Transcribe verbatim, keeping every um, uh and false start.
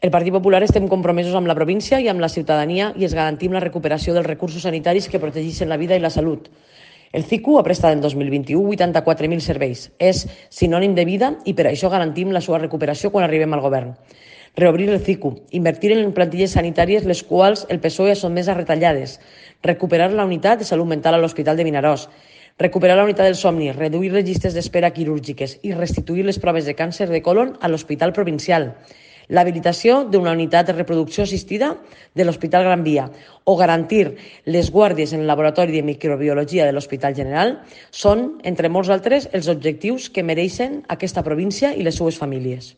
El Partit Popular estem compromesos amb la província i amb la ciutadania i es garantim la recuperació dels recursos sanitaris que protegeixen la vida i la salut. El C I C U ha prestat en dos mil vint-i-u vuitanta-quatre mil serveis. És sinònim de vida i per això garantim la seva recuperació quan arribem al govern. Reobrir el C I C U, invertir en plantilles sanitàries les quals el P S O E ha sotmès a retallades, recuperar la unitat de salut mental a l'Hospital de Vinaròs, recuperar la unitat del somni, reduir les llistes d'espera quirúrgiques i restituir les proves de càncer de colon a l'Hospital Provincial, l'habilitació d'una unitat de reproducció assistida de l'Hospital Gran Via o garantir les guàrdies en el laboratori de microbiologia de l'Hospital General són, entre molts altres, els objectius que mereixen aquesta província i les seues famílies.